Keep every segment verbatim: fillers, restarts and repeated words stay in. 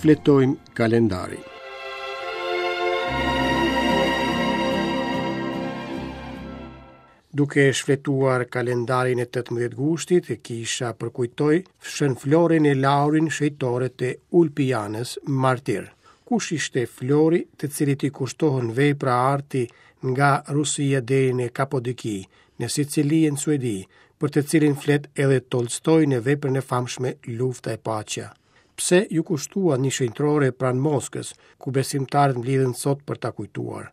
Shfletojmë kalendarin. Duke shfletuar kalendarin e tetëmbëdhjetë gushtit, kisha përkujtoi Shën Florin e Laurin, shenjtorët e Ulpianës, martir. Kush ishte Flori, të cilit i kushtohen vepra arti nga Rusia deri në Kapodoki, në Sicili e në Suedi, për të cilin flet edhe Tolstoi në veprën e famshme Lufta e Paqja. Pse iu kushtua një shenjtërore pranë Moskës, ku besimtarët mblidhen sot për ta kujtuar?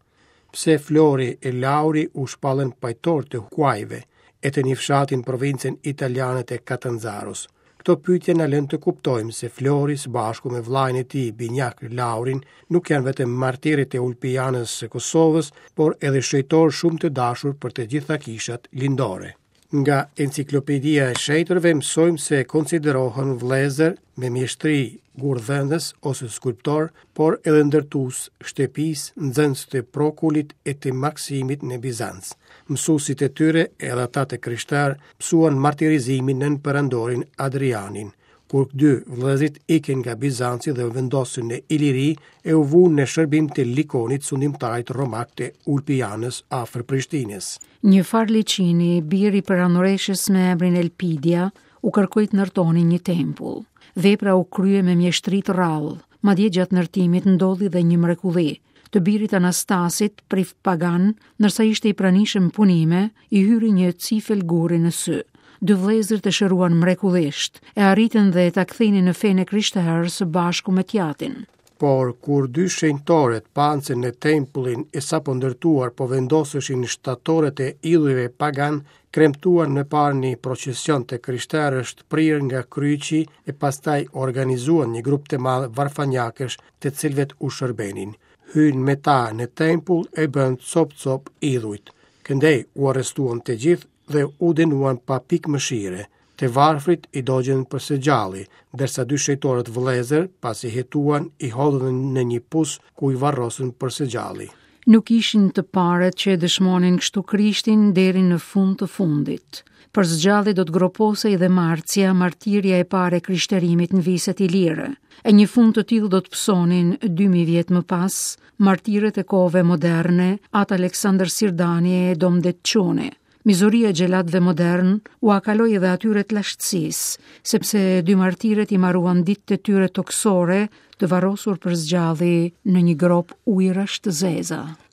Pse Flori e Lauri u shpallën pajtorë të kuajve e të një fshati në provincën italiane të Catanzaros? Këto pyetje na lënë të kuptojmë se Flori së bashku me vëllain e tij binjak Laurin nuk janë vetëm martirët e Ulpianës së Kosovës, por edhe shenjtorë shumë të dashur për të gjitha kishat lindore. Nga enciklopedia e shenjtërve mësojmë se konsiderohen vëllezër me mjeshtri gurdhënës ose skulptor, por edhe ndërtues shtëpis, nxënës të Prokulit e të Maksimit në Bizanc. Mësuesit e tyre, edhe ata të krishterë, mësuan martirizimin nën perandorin Adrianin, kur dy vëllezërit ikën nga Bizanci dhe u vendosën në Iliri e u vunë në shërbim të Likonit, sundimtarit romak të Ulpianës afër Prishtinës. Një farë Liçini, biri perandoreshës me emrin Elpidia, u kërkoi të ndërtonin një tempull. Vepra u krye me mjeshtri të rrallë, madje gjatë ndërtimit ndodhi dhe një mrekulli. Të birit Anastasit, prift pagan, ndërsa ishte i pranishëm punime, i hyri një cifel guri në sy. Dy vëllezërit e shëruan mrekullisht, e arritën dhe ta kthenin në fenë e krishterë së bashku me tjatin. Por kur dy shenjtorët panë se në tempullin e sapo ndërtuar po vendoseshin shtatoret e idhujve pagan, kremtuan më parë një procesion të krishterësh të prirë nga kryqi e pastaj organizuan një grup të madh varfanjakësh të cilëve u shërbenin. Hyn me ta në tempull e bën cop-cop idhujt. Këndej u arrestuan të gjithë dhe u dënuan pa pikë mëshire. Të varfrit i dogjën për së gjalli, ndërsa dy shenjtorët vëllezër, pasi hetuan, i hodhën në një pus ku i varrosën për së gjalli. Nuk ishin të parët që e dëshmonin kështu Krishtin deri në fund të fundit. Për së gjalli do të groposej dhe Marcia, martirja e parë e krishterimit në viset ilire. E një fund të tillë do të pësonin dy mijë vjet më pas martirët e kohëve moderne, Atë Aleksandër Sirdani e Dom Detçuni. Mizoria e xhelatëve modern ua kaloi edhe atyre të lashtësisë, sepse dy martirët i maruan ditët e tyre toksore të varrosur për zgjalli në një gropë ujërash të zeza.